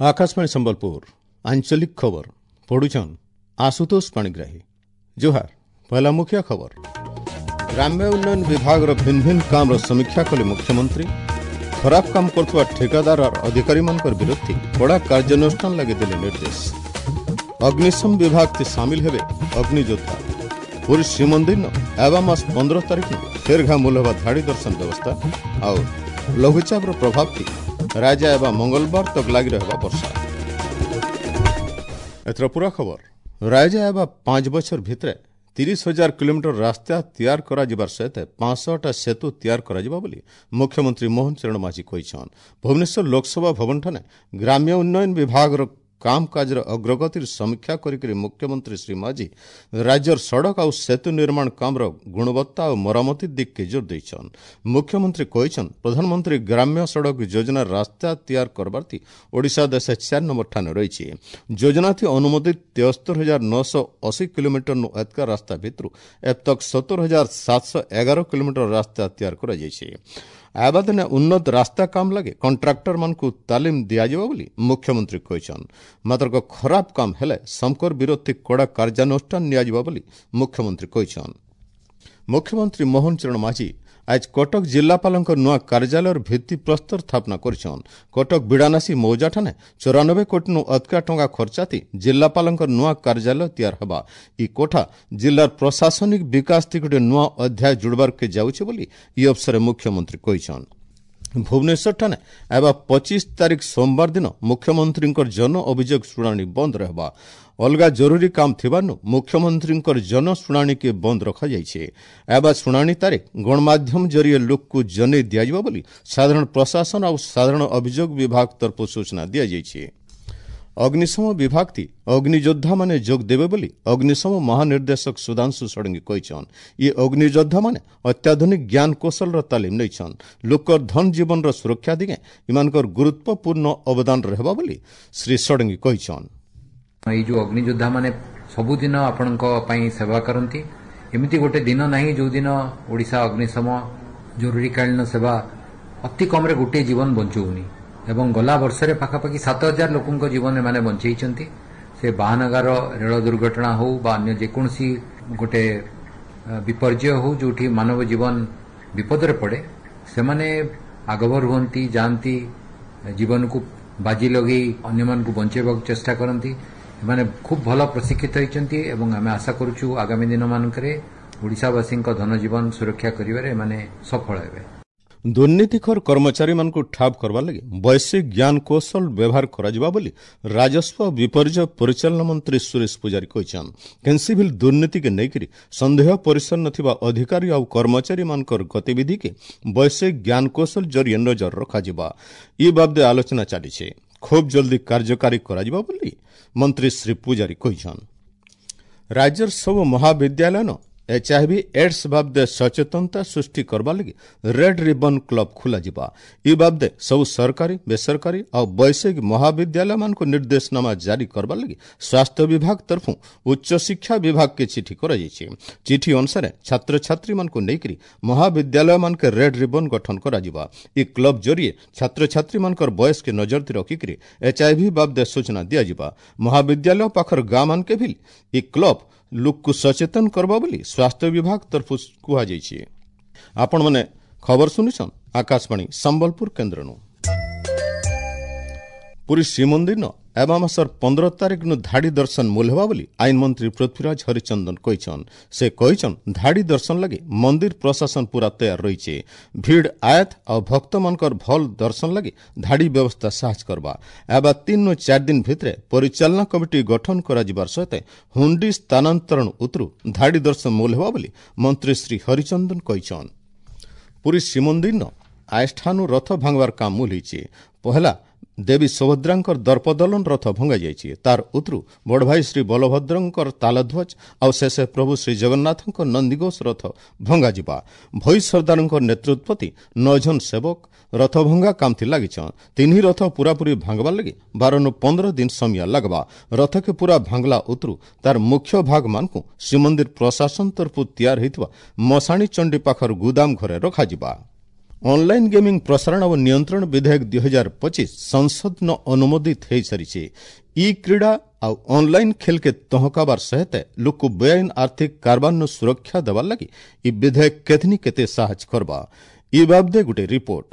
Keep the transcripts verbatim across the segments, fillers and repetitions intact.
Akashvani Sambalpur आंचलिक खबर पढ़ुछन आशुतोष पाणिग्राही। जोहार। पहला मुख्य खबर। ग्राम्य उन्नयन विभाग भिन्न भिन्न काम समीक्षा कले मुख्यमंत्री। खराब काम करथुवा ठेकादार और अधिकारी मानकर विरुद्ध कड़ा कार्यानुष्ठान लगे देले निर्देश। अग्निशम विभाग ती शामिल हेबे अग्नियोद्धा। पुरी श्रीमंदिर एवा मास पंद्रह तारीख फेर घा मूल हेबा धाड़ी दर्शन व्यवस्था। और लघुचाप प्रभाव थी राजा एवं मंगलवार तक लागि रहबा वर्षा। एथर पूरा खबर। राजा एवं पांच बछर भितरे तीस हजार किलोमीटर रास्ता तैयार कराଯିବାର सहित पांचशहटा सेतु तैयार କରାଯିବ ବୋଲି ମୁଖ୍ୟମନ୍ତ୍ରୀ ମୋହନ ଚରଣ ମାଝୀ କହିଛନ୍ତି। ଭୁବନେଶ୍ୱର ଲୋକସଭା ଭବନଠାରେ ଗ୍ରାମ୍ୟ ଉନ୍ନୟନ ବିଭାଗର କାମକାଜର ଅଗ୍ରଗତିର ସମୀକ୍ଷା କରିକରି ମୁଖ୍ୟମନ୍ତ୍ରୀ ଶ୍ରୀ ମାଝୀ ରାଜ୍ୟର ସଡ଼କ ଆଉ ସେତୁ ନିର୍ମାଣ କାମର ଗୁଣବତ୍ତା ଓ ମରାମତି ଦିଗକେ ଜୋର ଦେଇଛନ୍। ମୁଖ୍ୟମନ୍ତ୍ରୀ କହିଛନ୍, ପ୍ରଧାନମନ୍ତ୍ରୀ ଗ୍ରାମ୍ୟ ସଡ଼କ ଯୋଜନା ରାସ୍ତା ତିଆର କରବାର୍ଥି ଓଡ଼ିଶା ଦେଶ ଚାରି ନମ୍ବର ଠାନେ ରହିଛି। ଯୋଜନାଥି ଅନୁମୋଦିତ ତେସ୍ତର ହଜାର ନଅଶହ ଅଶୀ କିଲୋମିଟରନୁ ଏତକା ରାସ୍ତା ଭିତରୁ ଏବେ ତକ ସତର ହଜାର ସାତଶହ ଏଗାର କିଲୋମିଟର ରାସ୍ତା ତିଆର କରାଯାଇଛି। ଆବାଦିନେ ଉନ୍ନତ ରାସ୍ତା କାମ ଲାଗି କଣ୍ଟ୍ରାକ୍ଟର ମାନଙ୍କୁ ତାଲିମ ଦିଆଯିବ ବୋଲି ମୁଖ୍ୟମନ୍ତ୍ରୀ କହିଛନ୍ତି। ମାତ୍ର ଖରାପ କାମ ହେଲେ ସମକର ବିରୋଧୀ କଡ଼ା କାର୍ଯ୍ୟାନୁଷ୍ଠାନ ନିଆଯିବ ବୋଲି ମୁଖ୍ୟମନ୍ତ୍ରୀ କହିଛନ୍ତି। ମୁଖ୍ୟମନ୍ତ୍ରୀ ମୋହନ ଚରଣ ମାଝୀ ଆଜ କଟକ ଜିଲ୍ଲାପାଳଙ୍କ ନୂଆ କାର୍ଯ୍ୟାଳୟର ଭିତ୍ତିପ୍ରସ୍ତର ସ୍ଥାପନା କରିଛନ୍। କଟକ ବିଡ଼ାନାସୀ ମୌଜାଠାନେ ଚଉରାନବେ କୋଟିନୁ ଅଧିକା ଟଙ୍କା ଖର୍ଚ୍ଚାତି ଜିଲ୍ଲାପାଳଙ୍କ ନୂଆ କାର୍ଯ୍ୟାଳୟ ତିଆର ହେବା। ଇ କୋଠା ଜିଲ୍ଲାର ପ୍ରଶାସନିକ ବିକାଶ ଥି ଗୋଟିଏ ନୂଆ ଅଧ୍ୟାୟ ଯୋଡ଼ବାର୍କେ ଯାଉଛି ବୋଲି ଇ ଅବସରରେ ମୁଖ୍ୟମନ୍ତ୍ରୀ କହିଛନ୍। ଭୁବନେଶ୍ୱରଠାନେ ଏବେ ପଚିଶ ତାରିଖ ସୋମବାର ଦିନ ମୁଖ୍ୟମନ୍ତ୍ରୀଙ୍କର ଜନ ଅଭିଯୋଗ ଶୁଣାଣି ବନ୍ଦ ରହିବା। ଅଲଗା ଜରୁରୀ କାମ ଥିବାରୁ ମୁଖ୍ୟମନ୍ତ୍ରୀଙ୍କର ଜନ ଶୁଣାଣିକେ ବନ୍ଦ ରଖାଯାଇଛି। ଏବେ ଶୁଣାଣି ତାରିଖ ଗଣମାଧ୍ୟମ ଜରିଏ ଲୋକକୁ ଜଣାଇ ଦିଆଯିବ ବୋଲି ସାଧାରଣ ପ୍ରଶାସନ ଆଉ ସାଧାରଣ ଅଭିଯୋଗ ବିଭାଗ ତରଫରୁ ସୂଚନା ଦିଆଯାଇଛି। ଅଗ୍ନିଶମ ବିଭାଗ ଥି ଅଗ୍ନିଯୋଦ୍ଧାମାନେ ଯୋଗ ଦେବେ ବୋଲି ଅଗ୍ନିଶମ ମହାନିର୍ଦ୍ଦେଶକ ସୁଧାଂଶୁ ଷଡ଼ଙ୍ଗୀ କହିଛନ୍। ଇ ଅଗ୍ନିଯୋଦ୍ଧାମାନେ ଅତ୍ୟାଧୁନିକ ଜ୍ଞାନ କୌଶଳର ତାଲିମ ନେଇଛନ୍। ଲୋକର ଧନ ଜୀବନର ସୁରକ୍ଷା ଦିଗେ ଏମାନଙ୍କର ଗୁରୁତ୍ୱପୂର୍ଣ୍ଣ ଅବଦାନ ରହିବ ବୋଲି ଶ୍ରୀ ଷଡ଼ଙ୍ଗୀ କହିଛନ୍। ଏଇ ଯେଉଁ ଅଗ୍ନିଯୋଦ୍ଧାମାନେ ସବୁଦିନ ଆପଣଙ୍କ ପାଇଁ ସେବା କରନ୍ତି, ଏମିତି ଗୋଟେ ଦିନ ନାହିଁ ଯେଉଁଦିନ ଓଡ଼ିଶା ଅଗ୍ନିଶମ ଜରୁରୀକାଳୀନ ସେବା ଅତି କମ୍ରେ ଗୋଟିଏ ଜୀବନ ବଞ୍ଚଉନି। ଏବଂ ଗଲା ବର୍ଷରେ ପାଖାପାଖି ସାତ ହଜାର ଲୋକଙ୍କ ଜୀବନ ଏମାନେ ବଞ୍ଚେଇଛନ୍ତି। ସେ ବାହାନଗାର ରେଳ ଦୁର୍ଘଟଣା ହେଉ ବା ଅନ୍ୟ ଯେକୌଣସି ଗୋଟେ ବିପର୍ଯ୍ୟୟ ହେଉ ଯେଉଁଠି ମାନବ ଜୀବନ ବିପଦରେ ପଡ଼େ, ସେମାନେ ଆଗଭର ହୁଅନ୍ତି, ଯାଆନ୍ତି, ଜୀବନକୁ ବାଜି ଲଗେଇ ଅନ୍ୟମାନଙ୍କୁ ବଞ୍ଚେଇବାକୁ ଚେଷ୍ଟା କରନ୍ତି। ଏମାନେ ଖୁବ୍ ଭଲ ପ୍ରଶିକ୍ଷିତ ହୋଇଛନ୍ତି ଏବଂ ଆମେ ଆଶା କରୁଛୁ ଆଗାମୀ ଦିନମାନଙ୍କରେ ଓଡ଼ିଶାବାସୀଙ୍କ ଧନଜୀବନ ସୁରକ୍ଷା କରିବାରେ ଏମାନେ ସଫଳ ହେବେ। ଦୁର୍ନୀତିଖୋର କର୍ମଚାରୀମାନଙ୍କୁ ଠାବ କରିବା ଲାଗି ବୈଷୟିକ ଜ୍ଞାନ କୌଶଳ ବ୍ୟବହାର କରାଯିବ ବୋଲି ରାଜସ୍ୱ ବିପର୍ଯ୍ୟୟ ପରିଚାଳନା ମନ୍ତ୍ରୀ ସୁରେଶ ପୂଜାରୀ କହିଛନ୍ତି। କେନ୍ସି ବି ଦୁର୍ନୀତିକେ ନେଇକରି ସନ୍ଦେହ ପରିସର ନଥିବା ଅଧିକାରୀ ଆଉ କର୍ମଚାରୀମାନଙ୍କର ଗତିବିଧିକେ ବୈଷୟିକ ଜ୍ଞାନ କୌଶଳ ଜରିଏ ନଜର ରଖାଯିବ। ଇ ବାବଦେ ଆଲୋଚନା ଚାଲିଛି, ଖୁବ୍ ଜଲ୍ଦି କାର୍ଯ୍ୟକାରୀ କରାଯିବ ବୋଲି ମନ୍ତ୍ରୀ ଶ୍ରୀ ପୂଜାରୀ କହିଛନ୍ତି। ରାଜ୍ୟର ସବୁ ମହାବିଦ୍ୟାଳୟନ ଏଚ୍ଆଇଭି ଏଡ୍ସ ବାବଦେ ସଚେତନତା ସୃଷ୍ଟି କରିବା ଲାଗି ରେଡ୍ ରିବନ୍ କ୍ଲବ୍ ଖୋଲାଯିବା। ଇ ବାବଦେ ସବୁ ସରକାରୀ, ବେସରକାରୀ ଆଉ ବୈଷୟିକ ମହାବିଦ୍ୟାଳୟମାନଙ୍କୁ ନିର୍ଦ୍ଦେଶନାମା ଜାରି କରିବା ଲାଗି ସ୍ୱାସ୍ଥ୍ୟ ବିଭାଗ ତରଫରୁ ଉଚ୍ଚଶିକ୍ଷା ବିଭାଗକେ ଚିଠି କରାଯାଇଛି। ଚିଠି ଅନୁସାରେ ଛାତ୍ରଛାତ୍ରୀମାନଙ୍କୁ ନେଇକରି ମହାବିଦ୍ୟାଳୟମାନକେ ରେଡ୍ ରିବନ୍ ଗଠନ କରାଯିବ। ଇ କ୍ଲବ୍ ଜରିଏ ଛାତ୍ରଛାତ୍ରୀମାନଙ୍କର ବୟସକେ ନଜର ରଖିକରି ଏଚ୍ଆଇଭି ବାବଦେ ସୂଚନା ଦିଆଯିବ। ମହାବିଦ୍ୟାଳୟ ପାଖର ଗାଁମାନକେ ବି ଇ କ୍ଲବ୍ ଲୋକକୁ ସଚେତନ କରବା ବୋଲି ସ୍ୱାସ୍ଥ୍ୟ ବିଭାଗ ତରଫରୁ କୁହାଯାଇଛି। ଆପଣମାନେ ଖବର ଶୁଣିଛନ୍ ଆକାଶବାଣୀ ସମ୍ବଲପୁର କେନ୍ଦ୍ରନୁ। ପୁରୀ ଶ୍ରୀମନ୍ଦିର ଏବା ମାସର ପନ୍ଦର ତାରିଖନୁ ଧାଡ଼ି ଦର୍ଶନ ମୂଲ ହେବା ବୋଲି ଆଇନ ମନ୍ତ୍ରୀ ପୃଥ୍ୱୀରାଜ ହରିଚନ୍ଦନ କହିଛନ୍। ସେ କହିଛନ୍, ଧାଡ଼ି ଦର୍ଶନ ଲାଗି ମନ୍ଦିର ପ୍ରଶାସନ ପୁରା ତୈୟାର ରହିଛି। ଭିଡ଼ ଆୟତ ଆଉ ଭକ୍ତମାନଙ୍କର ଭଲ ଦର୍ଶନ ଲାଗି ଧାଡ଼ି ବ୍ୟବସ୍ଥା ସାହାଯ୍ୟ କରବା। ଏବା ତିନି ଚାରି ଦିନ ଭିତରେ ପରିଚାଳନା କମିଟି ଗଠନ କରାଯିବାର ସହିତ ହୁଣ୍ଡି ସ୍ଥାନାନ୍ତରଣ ଉତରୁ ଧାଡ଼ି ଦର୍ଶନ ମୂଲ ହେବା ବୋଲି ମନ୍ତ୍ରୀ ଶ୍ରୀ ହରିଚନ୍ଦନ କହିଛନ୍। ପୁରୀ ଶ୍ରୀମନ୍ଦିର ଆୟଷ୍ଠାନୁ ରଥ ଭାଙ୍ଗବାର କାମ ମୂଲ ହେଇଛି। ପହଲା ଦେବୀ ସୁଭଦ୍ରାଙ୍କର ଦର୍ପଦଳନ ରଥ ଭଙ୍ଗାଯାଇଛି। ତାର ଉତରୁ ବଡ଼ଭାଇ ଶ୍ରୀ ବଳଭଦ୍ରଙ୍କର ତାଳଧ୍ୱଜ ଆଉ ଶେଷେ ପ୍ରଭୁ ଶ୍ରୀ ଜଗନ୍ନାଥଙ୍କ ନନ୍ଦିଘୋଷ ରଥ ଭଙ୍ଗାଯିବା। ଭୋଇ ସର୍ଦ୍ଦାରଙ୍କ ନେତୃତ୍ୱତି ନଅ ଜଣ ସେବକ ରଥଭଙ୍ଗା କାମଥି ଲାଗିଛନ୍। ତିନି ରଥ ପୁରାପୁରି ଭାଙ୍ଗବାର ଲାଗି ବାରନୁ ପନ୍ଦର ଦିନ ସମୟ ଲାଗବା। ରଥକେ ପୁରା ଭାଙ୍ଗଲା ଉତରୁ ତାର ମୁଖ୍ୟ ଭାଗମାନଙ୍କୁ ଶ୍ରୀମନ୍ଦିର ପ୍ରଶାସନ ତରଫରୁ ତିଆର ହୋଇଥିବା ମଶାଣୀ ଚଣ୍ଡୀ ପାଖର ଗୁଦାମ ଘରେ ରଖାଯିବା। ଅନଲାଇନ୍ ଗେମିଂ ପ୍ରସାରଣ ଓ ନିୟନ୍ତ୍ରଣ ବିଧେୟକ ଦୁଇ ହଜାର ପଚିଶ ସଂସଦନ ଅନୁମୋଦିତ ହୋଇସାରିଛି। ଇ କ୍ରୀଡ଼ା ଆଉ ଅନଲାଇନ୍ ଖେଲକେ ତହକାବାର ସହିତ ଲୋକକୁ ବେଆଇନ ଆର୍ଥିକ କାରବାରନୁ ସୁରକ୍ଷା ଦେବାର ଲାଗି ଇ ବିଧେୟକ କେତନି କେତେ ସାହାଯ୍ୟ କରବା, ଇ ବାବଦେ ଗୋଟେ ରିପୋର୍ଟ।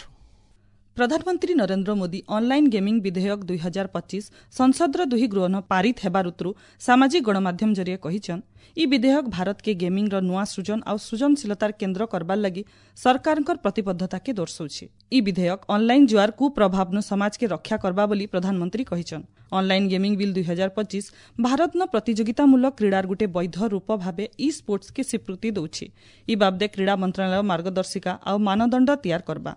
ପ୍ରଧାନମନ୍ତ୍ରୀ ନରେନ୍ଦ୍ର ମୋଦି ଅନଲାଇନ୍ ଗେମିଂ ବିଧେୟକ ଦୁଇ ହଜାର ପଚିଶ ସଂସଦର ଦୁହି ଗୃହନ ପାରିତ ହେବାର ଉତରୁ ସାମାଜିକ ଗଣମାଧ୍ୟମ ଜରିଏ କହିଛନ୍, ଇ ବିଧେୟକ ଭାରତକେ ଗେମିଂର ନୂଆ ସୃଜନ ଆଉ ସୃଜନଶୀଳତାର କେନ୍ଦ୍ର କରବାର ଲାଗି ସରକାରଙ୍କର ପ୍ରତିବଦ୍ଧତାକେ ଦର୍ଶାଉଛି। ଇ ବିଧେୟକ ଅନଲାଇନ୍ ଜୁଆର କୁପ୍ରଭାବନୁ ସମାଜକେ ରକ୍ଷା କରବା ବୋଲି ପ୍ରଧାନମନ୍ତ୍ରୀ କହିଛନ୍। ଅନଲାଇନ୍ ଗେମିଂ ବିଲ୍ ଦୁଇ ହଜାର ପଚିଶ ଭାରତନ ପ୍ରତିଯୋଗିତାମୂଳକ କ୍ରୀଡ଼ାର ଗୋଟେ ବୈଧ ରୂପ ଭାବେ ଇ ସ୍ପୋର୍ଟସକେ ସ୍ୱୀକୃତି ଦେଉଛି। ଇ ବାବଦେ କ୍ରୀଡ଼ା ମନ୍ତ୍ରଣାଳୟ ମାର୍ଗଦର୍ଶିକା ଆଉ ମାନଦଣ୍ଡ ତିଆର କରବା।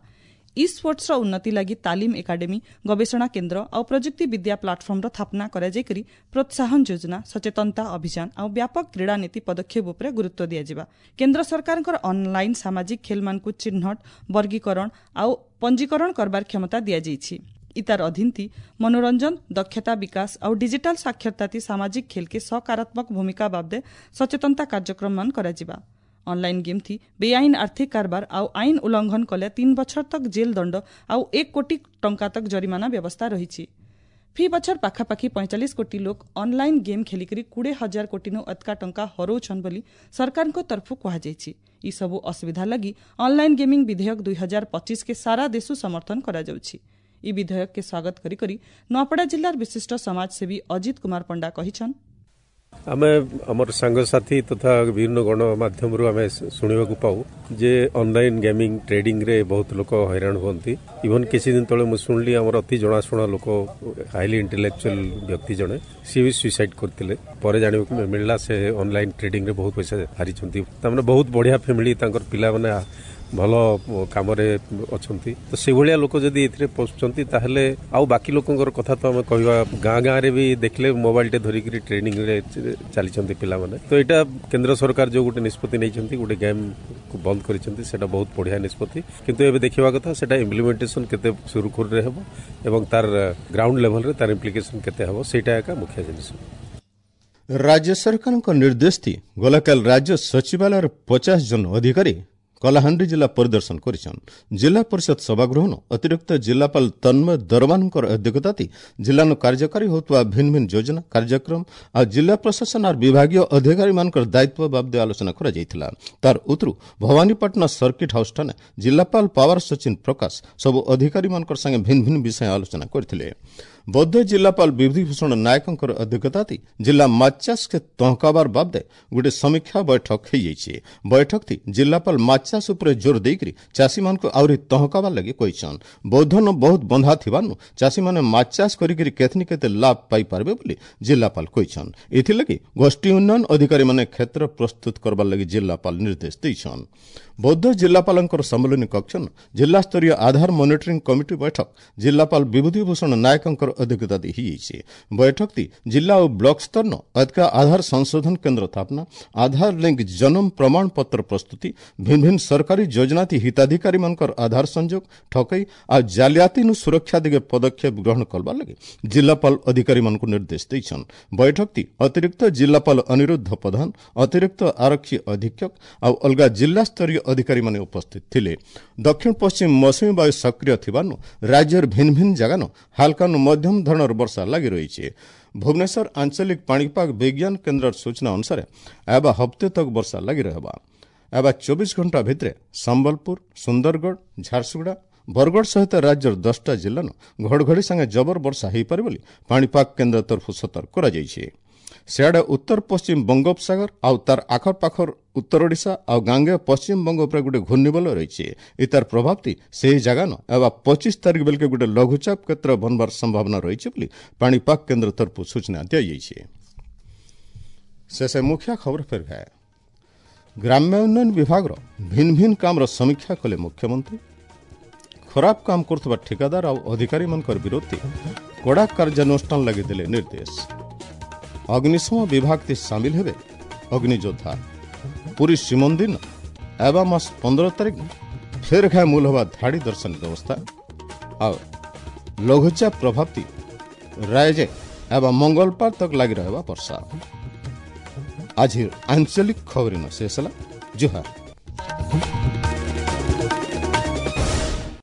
ଇ ସ୍ପୋର୍ଟସର ଉନ୍ନତି ଲାଗି ତାଲିମ ଏକାଡେମୀ, ଗବେଷଣା କେନ୍ଦ୍ର ଆଉ ପ୍ରଯୁକ୍ତି ବିଦ୍ୟା ପ୍ଲାଟଫର୍ମର ସ୍ଥାପନା କରାଯାଇକରି ପ୍ରୋତ୍ସାହନ ଯୋଜନା, ସଚେତନତା ଅଭିଯାନ ଆଉ ବ୍ୟାପକ କ୍ରୀଡ଼ା ନୀତି ପଦକ୍ଷେପ ଉପରେ ଗୁରୁତ୍ୱ ଦିଆଯିବା। କେନ୍ଦ୍ର ସରକାରଙ୍କର ଅନଲାଇନ୍ ସାମାଜିକ ଖେଲମାନଙ୍କୁ ଚିହ୍ନଟ, ବର୍ଗୀକରଣ ଆଉ ପଞ୍ଜୀକରଣ କରବାର କ୍ଷମତା ଦିଆଯାଇଛି। ଇତାର ଅଧୀନତି ମନୋରଞ୍ଜନ, ଦକ୍ଷତା ବିକାଶ ଆଉ ଡିଜିଟାଲ ସାକ୍ଷରତାତି ସାମାଜିକ ଖେଲକେ ସକାରାତ୍ମକ ଭୂମିକା ବାବଦେ ସଚେତନତା କାର୍ଯ୍ୟକ୍ରମମାନ କରାଯିବା। ଅନଲାଇନ୍ ଗେମ୍ ଥି ବେଆଇନ ଆର୍ଥିକ କାରବାର ଆଉ ଆଇନ ଉଲ୍ଲଂଘନ କଲେ ତିନି ବଛର ତକ ଜେଲ ଦଣ୍ଡ ଆଉ ଏକ କୋଟି ଟଙ୍କା ତକ ଜରିମାନା ବ୍ୟବସ୍ଥା ରହିଛି। ଫି ବଛର ପାଖାପାଖି ପଇଁଚାଳିଶ କୋଟି ଲୋକ ଅନଲାଇନ୍ ଗେମ୍ ଖେଳିକରି କୋଡ଼ିଏ ହଜାର କୋଟିନୁ ଅଧିକା ଟଙ୍କା ହରଉଛନ୍ ବୋଲି ସରକାରଙ୍କ ତରଫରୁ କୁହାଯାଇଛି। ଏସବୁ ଅସୁବିଧା ଲାଗି ଅନଲାଇନ୍ ଗେମିଂ ବିଧେୟକ ଦୁଇ ହଜାର ପଚିଶକେ ସାରା ଦେଶୁ ସମର୍ଥନ କରାଯାଉଛି। ଇ ବିଧେୟକକେ ସ୍ୱାଗତ କରି କରି ନୂଆପଡ଼ା ଜିଲ୍ଲାର ବିଶିଷ୍ଟ ସମାଜସେବୀ ଅଜିତ କୁମାର ପଣ୍ଡା କହିଛନ୍, ଆମେ ଆମର ସାଙ୍ଗସାଥି ତଥା ବିଭିନ୍ନ ଗଣମାଧ୍ୟମରୁ ଆମେ ଶୁଣିବାକୁ ପାଉ ଯେ ଅନଲାଇନ୍ ଗେମିଂ ଟ୍ରେଡିଂରେ ବହୁତ ଲୋକ ହଇରାଣ ହୁଅନ୍ତି। ଇଭନ୍ କିଛି ଦିନ ତଳେ ମୁଁ ଶୁଣିଲି, ଆମର ଅତି ଜଣାଶୁଣା ଲୋକ, ହାଇଲି ଇଣ୍ଟେଲେକ୍ଚୁଆଲ ବ୍ୟକ୍ତି ଜଣେ, ସିଏ ବି ସୁଇସାଇଡ୍ କରିଥିଲେ। ପରେ ଜାଣିବାକୁ ମିଳିଲା ସେ ଅନଲାଇନ୍ ଟ୍ରେଡିଂରେ ବହୁତ ପଇସା ହାରିଛନ୍ତି। ତାମାନେ ବହୁତ ବଢିଆ ଫ୍ୟାମିଲି, ତାଙ୍କର ପିଲାମାନେ ଭଲ କାମରେ ଅଛନ୍ତି। ତ ସେଇଭଳିଆ ଲୋକ ଯଦି ଏଥିରେ ପଶୁଛନ୍ତି, ତାହେଲେ ଆଉ ବାକି ଲୋକଙ୍କର କଥା ତ ଆମେ କହିବା। ଗାଁ ଗାଁରେ ବି ଦେଖିଲେ ମୋବାଇଲଟେ ଧରିକିରି ଟ୍ରେଡିଂରେ ଚାଲିଛନ୍ତି ପିଲାମାନେ। ତ ଏଇଟା କେନ୍ଦ୍ର ସରକାର ଯୋଉ ଗୋଟେ ନିଷ୍ପତ୍ତି ନେଇଛନ୍ତି, ଗୋଟେ ଗେମ୍କୁ ବନ୍ଦ କରିଛନ୍ତି, ସେଇଟା ବହୁତ ବଢିଆ ନିଷ୍ପତ୍ତି। କିନ୍ତୁ ଏବେ ଦେଖିବା କଥା ସେଇଟା ଇମ୍ପ୍ଲିମେଣ୍ଟେସନ କେତେ ସୁରୁଖୁରୁରେ ହେବ ଏବଂ ତାର ଗ୍ରାଉଣ୍ଡ ଲେଭେଲରେ ତାର ଇମ୍ପ୍ଲିକେସନ କେତେ ହେବ, ସେଇଟା ଏକା ମୁଖ୍ୟ ଜିନିଷ। ରାଜ୍ୟ ସରକାରଙ୍କ ନିର୍ଦ୍ଦେଶ ଗଲାକାଲି ରାଜ୍ୟ ସଚିବାଳୟର ପଚାଶ ଜଣ ଅଧିକାରୀ କଳାହାଣ୍ଡି ଜିଲ୍ଲା ପରିଦର୍ଶନ କରିଛନ୍। ଜିଲ୍ଲା ପରିଷଦ ସଭାଗୃହନ ଅତିରିକ୍ତ ଜିଲ୍ଲାପାଳ ତନ୍ମୟ ଦରବାନଙ୍କର ଅଧ୍ୟକ୍ଷତାତି ଜିଲ୍ଲାନୁ କାର୍ଯ୍ୟକାରୀ ହେଉଥିବା ଭିନ୍ନ ଭିନ୍ନ ଯୋଜନା, କାର୍ଯ୍ୟକ୍ରମ ଆଉ ଜିଲ୍ଲା ପ୍ରଶାସନ ଆଉ ବିଭାଗୀୟ ଅଧିକାରୀମାନଙ୍କର ଦାୟିତ୍ୱ ବାବଦେ ଆଲୋଚନା କରାଯାଇଥିଲା। ତାର ଉତରୁ ଭବାନୀପାଟଣା ସର୍କିଟ ହାଉସଠାନେ ଜିଲ୍ଲାପାଳ ପାୱାର ସଚିନ ପ୍ରକାଶ ସବୁ ଅଧିକାରୀମାନଙ୍କର ସାଙ୍ଗେ ଭିନ୍ନ ଭିନ୍ନ ବିଷୟ ଆଲୋଚନା କରିଥିଲେ। ବୌଦ୍ଧ ଜିଲ୍ଲାପାଳ ବିଭୂତିଭୂଷଣ ନାୟକଙ୍କର ଅଧ୍ୟକ୍ଷତାତି ଜିଲ୍ଲା ମାଛଚାଷକେ ତହକାବାର ବାବଦେ ଗୋଟେ ସମୀକ୍ଷା ବୈଠକ ହେଇଯାଇଛି। ବୈଠକଟି ଜିଲ୍ଲାପାଳ ମାଛଚାଷ ଉପରେ ଜୋର ଦେଇକରି ଚାଷୀମାନଙ୍କୁ ଆହୁରି ତହକାବାର ଲାଗି କହିଛନ୍। ବୌଦ୍ଧନ ବହୁତ ବନ୍ଧା ଥିବାରୁ ଚାଷୀମାନେ ମାଛଚାଷ କରିକରି କେତନି କେତେ ଲାଭ ପାଇପାରିବେ ବୋଲି ଜିଲ୍ଲାପାଳ କହିଛନ୍। ଏଥିଲାଗି ଗୋଷ୍ଠୀ ଉନ୍ନୟନ ଅଧିକାରୀମାନେ କ୍ଷେତ୍ର ପ୍ରସ୍ତୁତ କରବାର ଲାଗି ଜିଲ୍ଲାପାଳ ନିର୍ଦ୍ଦେଶ ଦେଇଛନ୍। ବୌଦ୍ଧ ଜିଲ୍ଲାପାଳଙ୍କର ସମ୍ମିଳନୀ କକ୍ଷନ ଜିଲ୍ଲାସ୍ତରୀୟ ଆଧାର ମନିଟରିଂ କମିଟି ବୈଠକ ଜିଲ୍ଲାପାଳ ବିଭୂତିଭୂଷଣ ନାୟକଙ୍କର ଅଧ୍ୟକ୍ଷତା ହେଇଯାଇଛି। ବୈଠକଟି ଜିଲ୍ଲା ଓ ବ୍ଲକ ସ୍ତରନ ଅଧିକା ଆଧାର ସଂଶୋଧନ କେନ୍ଦ୍ର ସ୍ଥାପନା, ଆଧାର ଲିଙ୍କ ଜନ୍ମ ପ୍ରମାଣପତ୍ର ପ୍ରସ୍ତୁତି, ଭିନ୍ନ ଭିନ୍ନ ସରକାରୀ ଯୋଜନାତି ହିତାଧିକାରୀମାନଙ୍କର ଆଧାର ସଂଯୋଗ, ଠକେଇ ଆଉ ଜାଲିଆତିନୁ ସୁରକ୍ଷା ଦିଗେ ପଦକ୍ଷେପ ଗ୍ରହଣ କରବାର ଲାଗି ଜିଲ୍ଲାପାଳ ଅଧିକାରୀମାନଙ୍କୁ ନିର୍ଦ୍ଦେଶ ଦେଇଛନ୍। ବୈଠକଟି ଅତିରିକ୍ତ ଜିଲ୍ଲାପାଳ ଅନିରୁଦ୍ଧ ପ୍ରଧାନ, ଅତିରିକ୍ତ ଆରକ୍ଷୀ ଅଧୀକ୍ଷକ ଆଉ ଅଲଗା ଜିଲ୍ଲାସ୍ତରୀୟ ଅଧିକାରୀମାନେ ଉପସ୍ଥିତ ଥିଲେ। ଦକ୍ଷିଣ ପଶ୍ଚିମ ମୌସୁମୀ ବାୟୁ ସକ୍ରିୟ ଥିବାରୁ ରାଜ୍ୟର ଭିନ୍ନ ଭିନ୍ନ ଜାଗାନୁ ହାଲକାନୁ ମଧ୍ୟମ ଧରଣର ବର୍ଷା ଲାଗି ରହିଛି। ଭୁବନେଶ୍ୱର ଆଞ୍ଚଳିକ ପାଣିପାଗ ବିଜ୍ଞାନ କେନ୍ଦ୍ରର ସୂଚନା ଅନୁସାରେ ଆବା ହପ୍ତେ ତକ ବର୍ଷା ଲାଗି ରହିବା। ଆବା ଚବିଶ ଘଣ୍ଟା ଭିତରେ ସମ୍ବଲପୁର, ସୁନ୍ଦରଗଡ଼, ଝାରସୁଗୁଡ଼ା, ବରଗଡ଼ ସହିତ ରାଜ୍ୟର ଦଶଟା ଜିଲ୍ଲାନୁ ଘଡ଼ଘଡ଼ି ସାଙ୍ଗେ ଜବର ବର୍ଷା ହୋଇପାରେ ବୋଲି ପାଣିପାଗ କେନ୍ଦ୍ର ତରଫରୁ ସତର୍କ କରାଯାଇଛି। ସିଆଡ଼େ ଉତ୍ତର ପଶ୍ଚିମ ବଙ୍ଗୋପସାଗର ଆଉ ତାର ଆଖପାଖର ଉତ୍ତର ଓଡ଼ିଶା ଆଉ ଗାଙ୍ଗେୟ ପଶ୍ଚିମବଙ୍ଗ ଉପରେ ଗୋଟେ ଘୂର୍ଣ୍ଣିବଳୟ ରହିଛି। ଏତାର ପ୍ରଭାବଟି ସେହି ଜାଗାନ ଏବା ପଚିଶ ତାରିଖ ବେଳକେ ଗୋଟେ ଲଘୁଚାପ କ୍ଷେତ୍ର ବନବାର ସମ୍ଭାବନା ରହିଛି ବୋଲି ପାଣିପାଗ କେନ୍ଦ୍ର ତରଫରୁ ସୂଚନା ଦିଆଯାଇଛି। ଶେଷ ମୁଖ୍ୟ ଖବର ଫେର ଘାଏ। ଗ୍ରାମ୍ୟ ଉନ୍ନୟନ ବିଭାଗର ଭିନ୍ନ ଭିନ୍ନ କାମର ସମୀକ୍ଷା କଲେ ମୁଖ୍ୟମନ୍ତ୍ରୀ। ଖରାପ କାମ କରୁଥିବା ଠିକାଦାର ଆଉ ଅଧିକାରୀମାନଙ୍କର ବିରୋଧରେ କଡ଼ା କାର୍ଯ୍ୟାନୁଷ୍ଠାନ ଲାଗି ଦେଲେ ନିର୍ଦ୍ଦେଶ। ଅଗ୍ନିଶମ ବିଭାଗ ସାମିଲ ହେବେ ଅଗ୍ନିଯୋଦ୍ଧା। ପୁରୀ ଶ୍ରୀମନ୍ଦିର ଆବା ମାସ ପନ୍ଦର ତାରିଖ ଫେର ଘାଏ ମୂଲ ହେବା ଧାଡ଼ି ଦର୍ଶନ ବ୍ୟବସ୍ଥା। ଆଉ ଲଘୁଚାପ ପ୍ରଭାବତି ରାୟଜେ ଆବା ମଙ୍ଗଳବାର ତକ ଲାଗି ରହିବା ବର୍ଷା। ଆଜି ଆଞ୍ଚଳିକ ଖବର ଶେଷ ହେଲା। ଜୁହାର।